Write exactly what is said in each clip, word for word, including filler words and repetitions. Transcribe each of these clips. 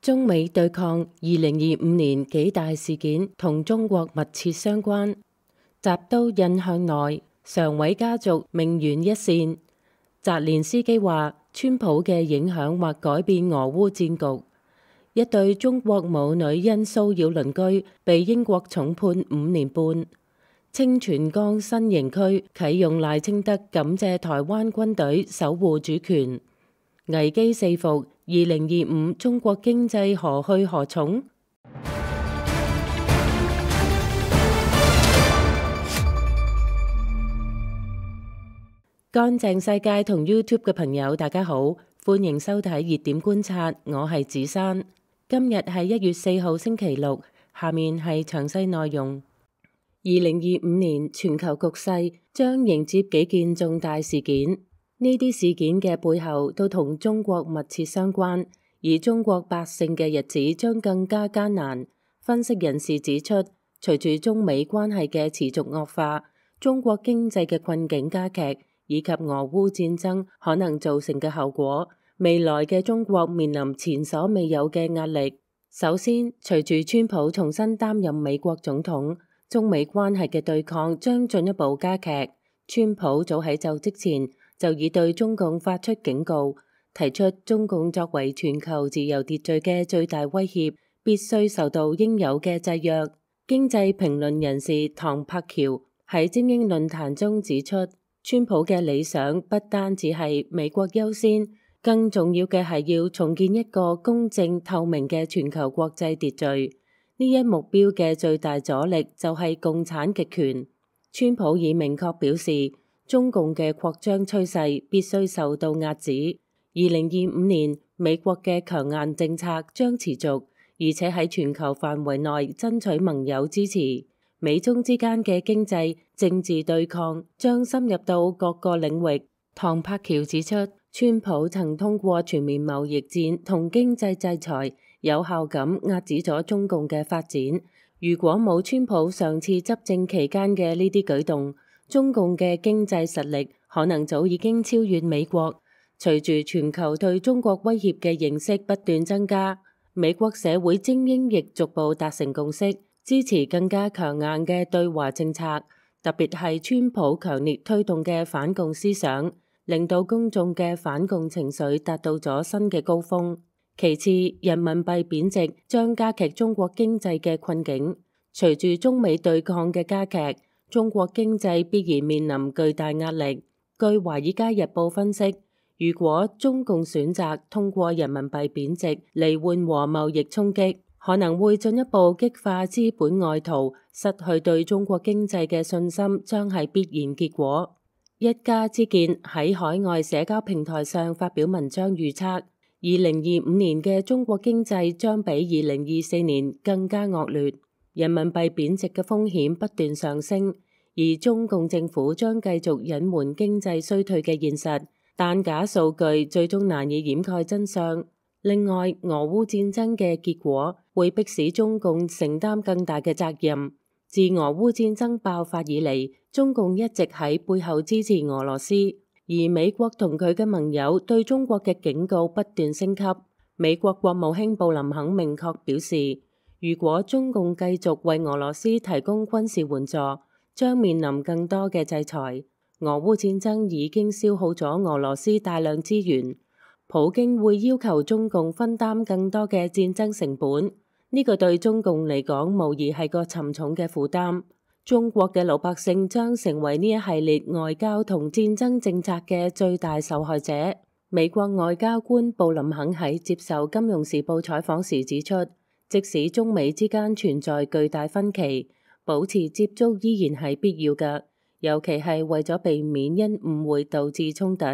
中美對抗二零二五年幾大事件同中國密切相關，習刀印向內，常委家族命懸一線。澤連斯基話，川普嘅影響或改變俄烏戰局。一對中國母女因騷擾鄰居被英國重判五年半。清泉崗新營區啟用賴清德感謝台灣軍隊守護主權。危機四伏，二零二五中國經濟何去何從？乾淨世界同 YouTube 嘅朋友，大家好，歡迎收睇熱點觀察，我係子珊。今日係一月四號星期六，下面係詳細內容。二零二五年全球局勢將迎接幾件重大事件，呢啲事件嘅背後都同中國密切相關，而中國百姓嘅日子將更加艱難。分析人士指出，隨住中美關係嘅持續惡化，中國經濟嘅困境加劇，以及俄烏戰爭可能造成嘅後果，未來嘅中國面臨前所未有嘅壓力。首先，隨住川普重新擔任美國總統，中美關係嘅對抗將進一步加劇。川普早喺就職前就已對中共發出警告，提出中共作為全球自由秩序嘅最大威脅，必須受到應有嘅制約。經濟評論人士唐柏橋喺精英論壇中指出，川普嘅理想不單只係美國優先，更重要嘅係要重建一個公正透明嘅全球國際秩序。呢一目標嘅最大阻力就係共產極權。川普已明確表示，中共嘅擴張趨勢必須受到壓止。二零二五年，美國嘅強硬政策將持續，而且喺全球範圍內爭取盟友支持。美中之間嘅經濟政治對抗將深入到各個領域。唐柏橋指出，川普曾通過全面貿易戰同經濟制裁，有效咁壓止咗中共嘅發展。如果冇川普上次執政期間嘅呢啲舉動，中共嘅經濟實力可能早已經超越美國。隨住全球對中國威脅嘅認識不斷增加，美國社會精英亦逐步達成共識，支持更加強硬嘅對華政策，特別係川普強烈推動嘅反共思想，令到公眾嘅反共情緒達到咗新嘅高峰。其次，人民幣貶值將加劇中國經濟嘅困境。隨住中美對抗嘅加劇，中國經濟必然面臨巨大壓力。據《華爾街日報》分析，如果中共選擇通過人民幣貶值嚟緩和貿易衝擊，可能會進一步激化資本外逃，失去對中國經濟嘅信心，將係必然結果。一家之見喺海外社交平台上發表文章預測，二零二五年嘅中國經濟將比二零二四年更加惡劣，人民幣貶值嘅風險不斷上升，而中共政府將繼續隱瞞經濟衰退嘅現實，但假數據最終難以掩蓋真相。另外，俄烏戰爭嘅結果會迫使中共承擔更大嘅責任。自俄烏戰爭爆發以嚟，中共一直喺背後支持俄羅斯，而美國同佢嘅盟友對中國嘅警告不斷升級。美國國務卿布林肯明確表示，如果中共繼續為俄羅斯提供軍事援助，將面臨更多嘅制裁。俄烏戰爭已經消耗咗俄羅斯大量資源，普京會要求中共分擔更多嘅戰爭成本。呢個對中共嚟講，無疑係個沉重嘅負擔。中國嘅老百姓將成為呢一系列外交同戰爭政策嘅最大受害者。美國外交官布林肯喺接受《金融時報》採訪時指出，即使中美之間存在巨大分歧，保持接觸依然係必要嘅，尤其係為咗避免因誤會導致衝突。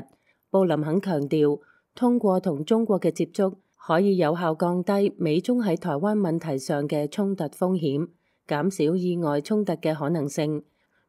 布林肯強調，通過同中國嘅接觸，可以有效降低美中喺台灣問題上嘅衝突風險，減少意外衝突嘅可能性。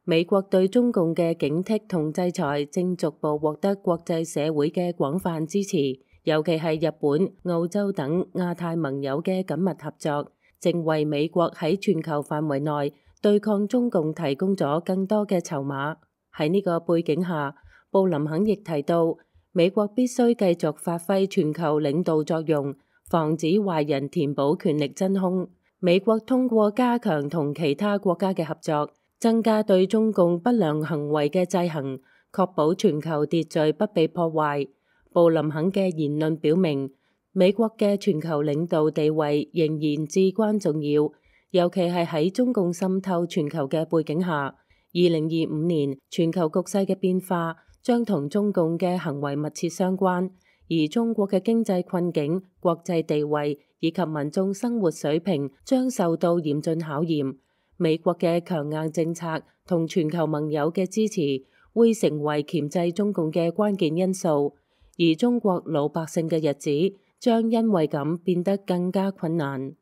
美國對中共嘅警惕同制裁正逐步獲得國際社會嘅廣泛支持，尤其係日本、澳洲等亞太盟友嘅緊密合作，正為美國喺全球範圍內對抗中共提供咗更多嘅籌碼。喺呢個背景下，布林肯亦提到，美國必須繼續發揮全球領導作用，防止壞人填補權力真空。美國通過加強同其他國家嘅合作，增加對中共不良行為嘅制衡，確保全球秩序不被破壞。布林肯嘅言論表明，美國嘅全球領導地位仍然至關重要，尤其係喺中共滲透全球嘅背景下。二零二五年全球局勢嘅變化將同中共嘅行為密切相關，而中國嘅經濟困境、國際地位以及民眾生活水平將受到嚴峻考驗。美國嘅強硬政策同全球盟友嘅支持會成為鉗制中共嘅關鍵因素，而中國老百姓嘅日子將因為咁變得更加困難。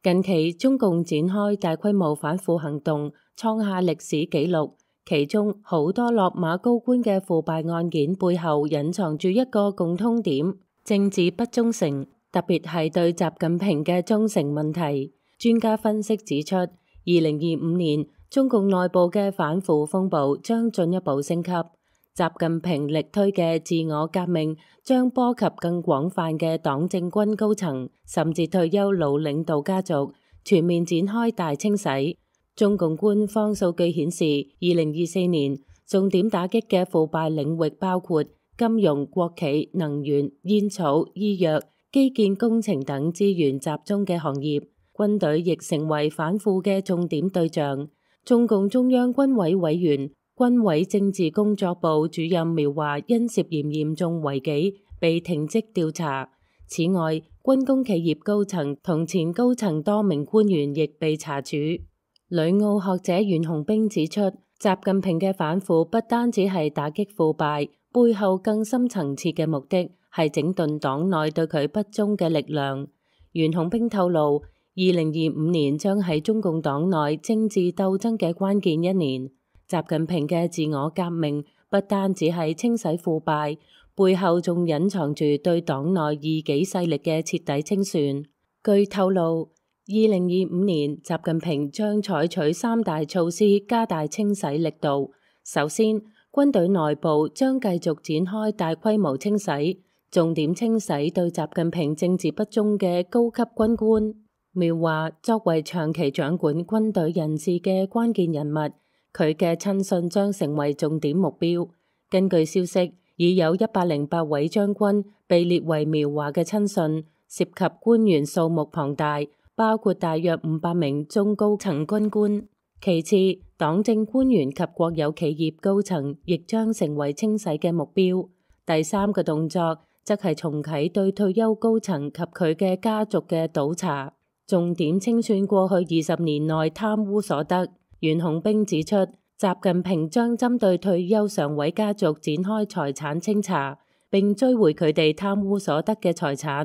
近期中共展開大規模反腐行動，創下歷史紀錄。其中好多落馬高官嘅腐敗案件背後隱藏住一個共通點：政治不忠誠，特別係對習近平嘅忠誠問題。專家分析指出，二零二五年中共內部嘅反腐風暴將進一步升級。習近平力推嘅自我革命將波及更廣泛嘅黨政軍高層，甚至退休老領導家族，全面展開大清洗。中共官方數據顯示，二零二四年重點打擊嘅腐敗領域包括金融、國企、能源、煙草、醫藥、基建工程等資源集中嘅行業。軍隊亦成為反腐嘅重點對象。中共中央軍委委員、軍委政治工作部主任苗華因涉嫌嚴重違紀被停職調查。此外，軍工企業高層同前高層多名官員亦被查處。旅澳學者袁洪兵指出，習近平嘅反腐不單止係打擊腐敗，背後更深層次嘅目的係整頓黨內對佢不忠嘅力量。袁洪兵透露，二零二五年將係中共黨內政治鬥爭嘅關鍵一年。習近平嘅自我革命不單止係清洗腐敗，背後仲隱藏住對黨內異己勢力嘅徹底清算。據透露，二零二五年習近平將採取三大措施加大清洗力度。首先，軍隊內部將繼續展開大規模清洗，重點清洗對習近平政治不忠嘅高級軍官。苗華作為長期掌管軍隊人事嘅關鍵人物，佢嘅親信將成為重點目標。根據消息，已有一百零八位將軍被列為苗華嘅親信，涉及官員數目龐大，包括大約五百名中高層軍官。其次，黨政官員及國有企業高層亦將成為清洗嘅目標。第三個動作則係重啟對退休高層及佢嘅家族嘅倒查，重點清算過去二十年內貪污所得。袁洪兵指出，習近平將針對退休常委家族展開財產清查，並追回佢哋貪污所得嘅財產。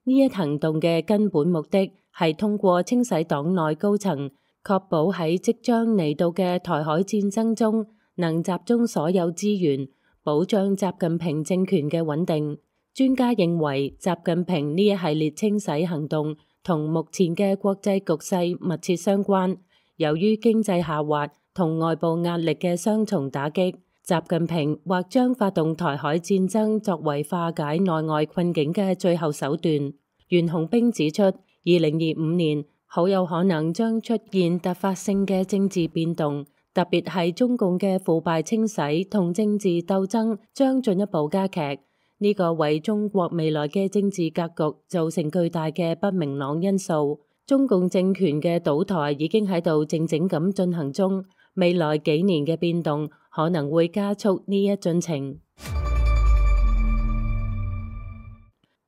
呢一行動嘅根本目的係通過清洗黨內高層，確保喺即將嚟到嘅台海戰爭中能集中所有資源，保障習近平政權嘅穩定。專家認為，習近平呢一系列清洗行動同目前嘅國際局勢密切相關。由於經濟下滑同外部壓力嘅雙重打擊，習近平或將發動台海戰爭作為化解內外困境嘅最後手段。袁洪兵指出，二零二五年好有可能將出現突發性嘅政治變動，特別係中共嘅腐敗清洗同政治鬥爭將進一步加劇。呢個為中國未來嘅政治格局造成巨大嘅不明朗因素。中共政權嘅倒台已經喺度靜靜咁進行中，未來幾年嘅變動可能會加速呢一進程。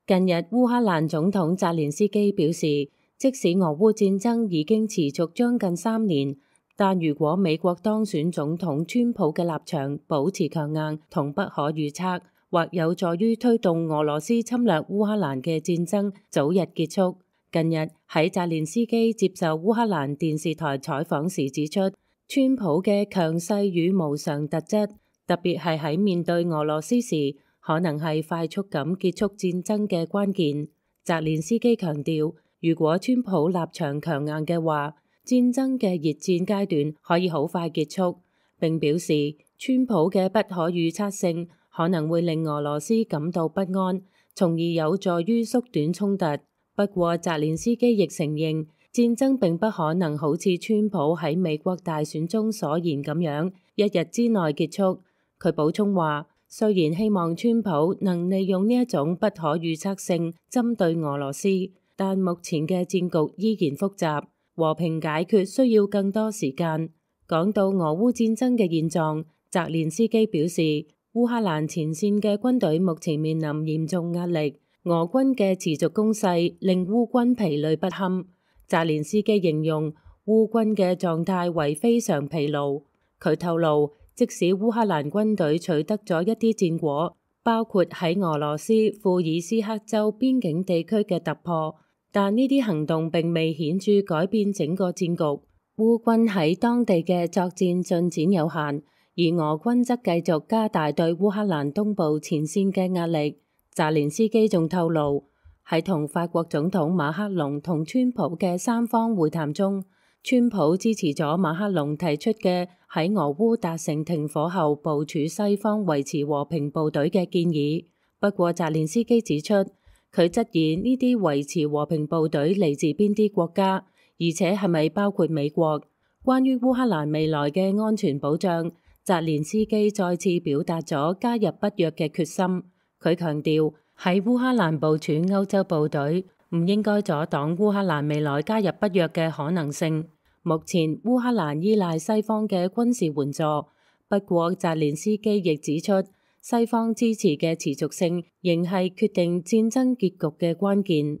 近日，烏克蘭總統澤連斯基表示，即使俄烏戰爭已經持續將近三年，但如果美國當選總統川普嘅立場保持強硬同不可預測，或有助於推動俄羅斯侵略烏克蘭嘅戰爭早日結束。近日喺澤連斯基接受烏克蘭電視台採訪時指出，川普嘅強勢與無常特質，特別係喺面對俄羅斯時，可能係快速咁結束戰爭嘅關鍵。澤連斯基強調，如果川普立場強硬嘅話，戰爭嘅熱戰階段可以好快結束。並表示，川普嘅不可預測性可能會令俄羅斯感到不安，從而有助於縮短衝突。不過，澤連斯基亦承認戰爭並不可能好似川普喺美國大選中所言咁樣一日之內結束。佢補充話，雖然希望川普能利用呢一種不可預測性針對俄羅斯，但目前嘅戰局依然複雜，和平解決需要更多時間。講到俄烏戰爭嘅現狀，澤連斯基表示，烏克蘭前線嘅軍隊目前面臨嚴重壓力，俄軍嘅持續攻勢令烏軍疲累不堪。澤連斯基形容烏軍嘅狀態為非常疲勞。佢透露，即使烏克蘭軍隊取得咗一啲戰果，包括喺俄羅斯庫爾斯克州邊境地區嘅突破，但呢啲行動並未顯著改變整個戰局。烏軍喺當地嘅作戰進展有限，而俄軍則繼續加大對烏克蘭東部前線嘅壓力。澤連斯基仲透露，喺同法國總統馬克龍同川普嘅三方會談中，川普支持咗馬克龍提出嘅喺俄烏達成停火後部署西方維持和平部隊嘅建議。不過澤連斯基指出，佢質疑呢啲維持和平部隊嚟自邊啲國家，而且係咪包括美國？關於烏克蘭未來嘅安全保障，澤連斯基再次表達咗加入北約嘅決心。佢強調，喺烏克蘭部署歐洲部隊唔應該阻擋烏克蘭未來加入北約嘅可能性。目前烏克蘭依賴西方嘅軍事援助，不過澤連斯基亦指出，西方支持嘅持續性仍係決定戰爭結局嘅關鍵。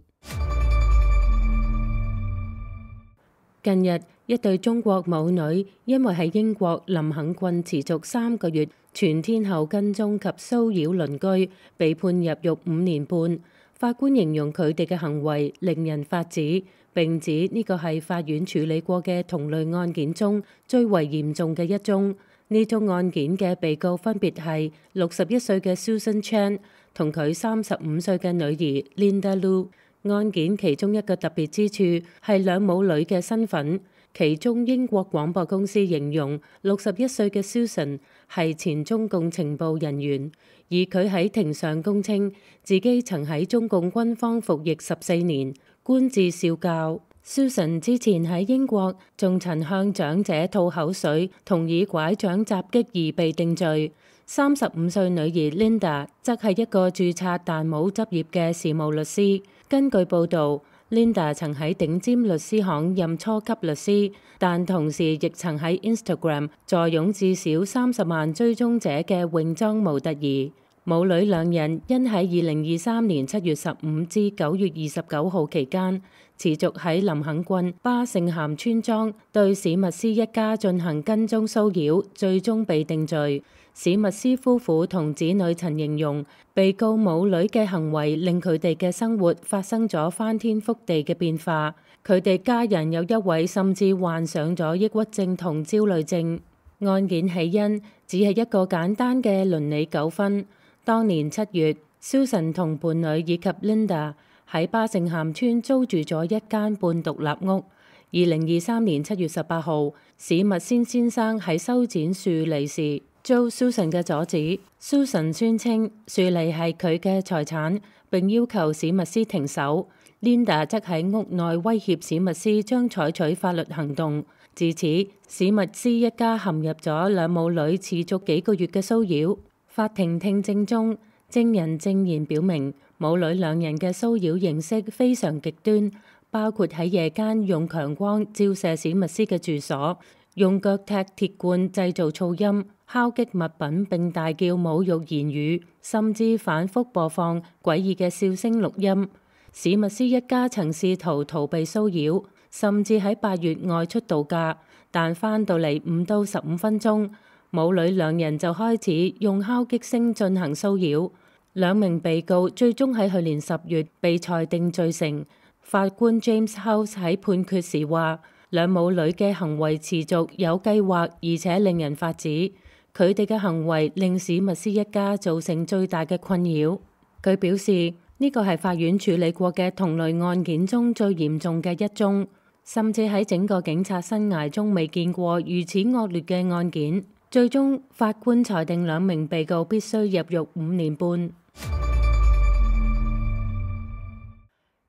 近日，一對中國母女因為喺英國林肯郡持續三個月全天候跟蹤及騷擾鄰居，被判入獄五年半。法官形容佢哋嘅行為令人髮指，並指呢個係法院處理過嘅同類案件中最為嚴重嘅一宗。呢宗案件嘅被告分別係六十一歲嘅 Susan Chan 同佢三十五歲嘅女兒 Linda Lu。案件其中一個特別之處係兩母女嘅身份，其中英國廣播公司形容六十一歲嘅 Susan 係前中共情報人員，而佢喺庭上供稱自己曾喺中共軍方服役十四年，官至少校。Susan 之前喺英國仲曾向長者吐口水同以拐杖襲擊而被定罪。三十五歲女兒 Linda 則係一個註冊但冇執業嘅事務律師。根據報導， Linda 曾喺頂尖律師行任初級律師，但同時亦曾喺 Instagram 坐擁至少三十萬追蹤者嘅泳裝模特兒。母女兩人因喺二零二三年七月十五至九月二十九號期間，持續喺林肯郡巴聖咸村莊對史密斯一家進行跟蹤騷擾，最終被定罪。史密斯夫婦同子女曾形容，被告母女嘅行為令佢哋嘅生活發生咗翻天覆地嘅變化。佢哋家人有一位甚至患上咗抑鬱症同焦慮症。案件起因只係一個簡單嘅倫理糾紛。當年七月，Susan同伴侶以及 Linda 喺巴聖咸村租住咗一間半獨立屋。二零二三年七月十八號，史密斯先生喺修剪樹梨時遭 Susan 嘅阻止。Susan 宣稱樹梨係佢嘅財產，並要求史密斯停手。Linda 則喺屋內威脅史密斯將採取法律行動。自此，史密斯一家陷入咗兩母女持續幾個月嘅騷擾。法庭聽證中，證人證言表明，母女兩人嘅騷擾形式非常極端，包括喺夜間用強光照射史密斯嘅住所，用腳踢鐵罐製造噪音，敲擊物品並大叫侮辱言語，甚至反覆播放詭異嘅笑聲錄音。史密斯一家曾試圖逃避騷擾，甚至喺八月外出度假，但返到嚟五到十五分鐘，母女兩人就開始用敲擊聲進行騷擾。兩名被告最終喺去年十月被裁定罪成。法官 James House 喺判決時話，兩母女嘅行為持續有計劃，而且令人髮指。佢哋嘅行為令史密斯一家造成最大嘅困擾。佢表示呢個係法院處理過嘅同類案件中最嚴重嘅一宗，甚至喺整個警察生涯中未見過如此惡劣嘅案件。最終法官裁定兩名被告必須入獄五年半。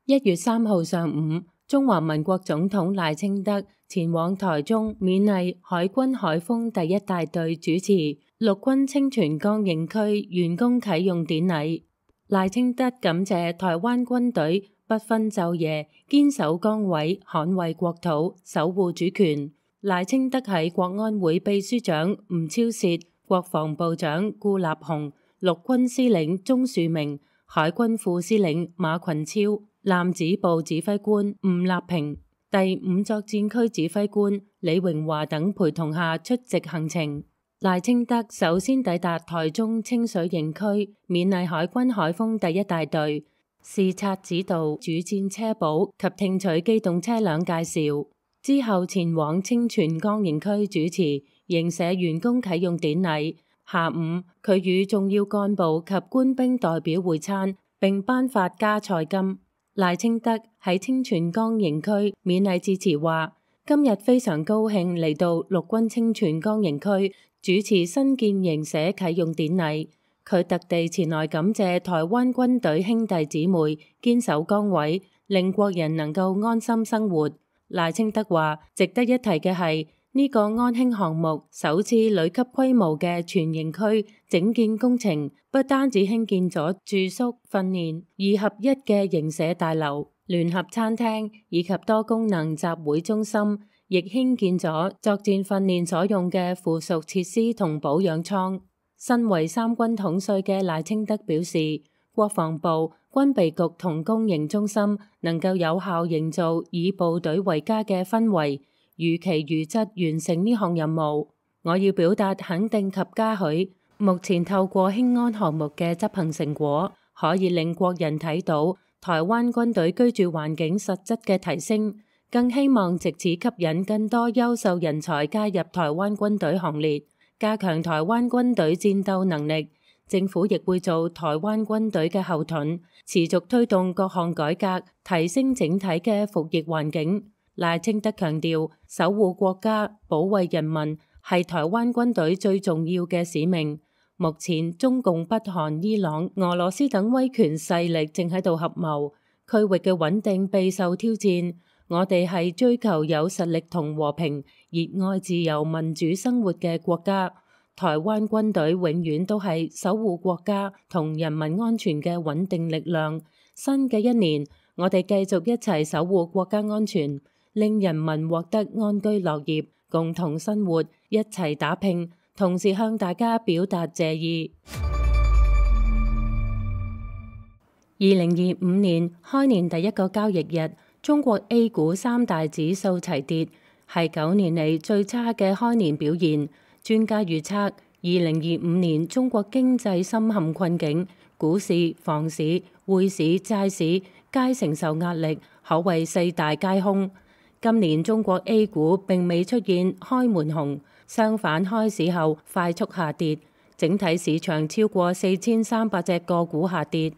一月三號上午，中華民國總統賴清德前往台中勉勵海軍海鋒第一大隊主持陸軍清泉崗營區完工啟用典禮。賴清德感謝台灣軍隊不分晝夜堅守崗位，捍衛國土，守護主權。賴清德喺國安會秘書長吳釗燮、國防部長顧立雄、陸軍司令鍾樹明、海軍副司令馬群超、艦指部指揮官吳立平、第五作戰區指揮官李榮華等陪同下出席行程。賴清德首先抵達台中清水營區，勉勵海軍海鋒第一大隊，視察指導主戰車保及聽取機動車輛介紹。之後前往清泉崗營區主持營舍完工啟用典禮。下午，佢與重要幹部及官兵代表會餐，並頒發加菜金。賴清德喺清泉崗營區勉勵致辭話：今日非常高興嚟到陸軍清泉崗營區主持新建營舍啟用典禮。佢特地前來感謝台灣軍隊兄弟姊妹堅守崗位，令國人能夠安心生活。賴清德話：值得一提嘅係呢個安興項目首次旅級規模嘅全營區整建工程，不單止興建咗住宿、訓練二合一嘅營舍大樓、聯合餐廳以及多功能集會中心，亦興建咗作戰訓練所用嘅附屬設施同保養艙。身為三軍統帥嘅賴清德表示，國防部、軍備局同公營中心能夠有效營造以部隊為家嘅氛圍，如期如質完成呢項任務。我要表達肯定及嘉許，目前透過興安項目嘅執行成果，可以令國人睇到台灣軍隊居住環境實質嘅提升，更希望藉此吸引更多優秀人才加入台灣軍隊行列，加強台灣軍隊戰鬥能力。政府亦會做台灣軍隊嘅後盾，持續推動各項改革，提升整體嘅服役環境。賴清德強調，守護國家、保衛人民係台灣軍隊最重要嘅使命。目前中共、北韓、伊朗、俄羅斯等威權勢力正喺度合謀，區域嘅穩定備受挑戰。我哋係追求有實力同和平、熱愛自由民主生活嘅國家。台灣軍隊永遠都係守護國家同人民安全嘅穩定力量。新嘅一年，我哋繼續一齊守護國家安全，令人民獲得安居樂業，共同生活，一齊打拼，同時向大家表達謝意。二零二五年開年第一個交易日，中國 A 股三大指數齊跌，係九年嚟最差嘅開年表現。專家預測，二零二五年中國經濟深陷困境，股市、房市、匯市、債市皆承受壓力，可謂四大皆空。今年中國 A 股並未出現開門紅，相反開市後快速下跌，整體市場超過四千三百隻個股下跌。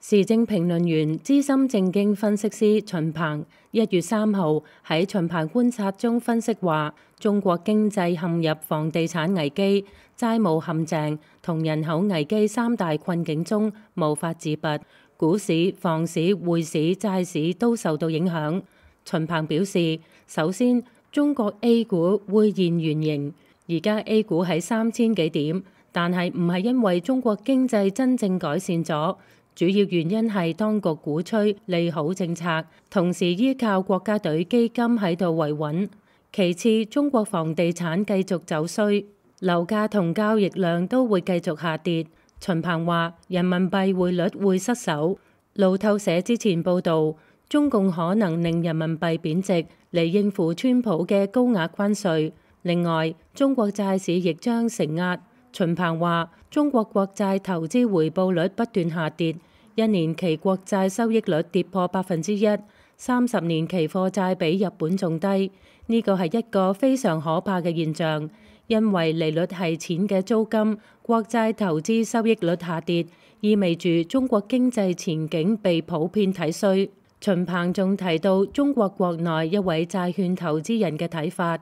時政評論員、資深政經分析師秦鵬一月三號喺秦鵬觀察中分析話，中國經濟陷入房地產危機、債務陷阱同人口危機三大困境中無法自拔，股市、房市、匯市、債市都受到影響。秦鵬表示，首先中國 A 股會現原形，而家 A 股喺三千幾點，但係唔係因為中國經濟真正改善咗。主要原因係當局鼓吹利好政策，同時依靠國家隊基金喺度維穩。其次，中國房地產繼續走衰，樓價同交易量都會繼續下跌。秦鵬話：人民幣匯率會失守。路透社之前報導，中共可能令人民幣貶值嚟應付川普嘅高額關稅。另外，中國債市亦將承壓。秦鵬話：中國國債投資回報率不斷下跌，一年期國債收益率跌破百分之一，三十年期貨債比日本仲低。呢個係一個非常可怕嘅現象，因為利率係錢嘅租金，國債投資收益率下跌，意味住中國經濟前景被普遍睇衰。秦鵬仲提到中國國內一位債券投資人嘅睇法。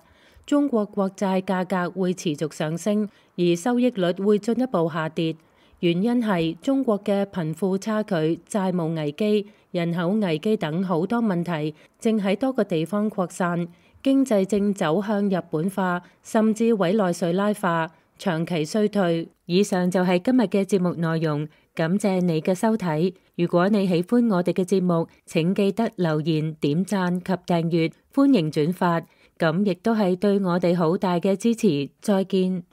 中國國債價格會持續上升，而收益率會進一步下跌。原因係中國嘅貧富差距、債務危機、人口危機等好多問題正喺多個地方擴散，經濟正走向日本化，甚至委內瑞拉化，長期衰退。以上就係今日嘅節目內容，感謝你嘅收睇。如果你喜歡我哋嘅節目，請記得留言、點讚及訂閱，歡迎轉發，咁亦都係對我哋好大嘅支持。再見。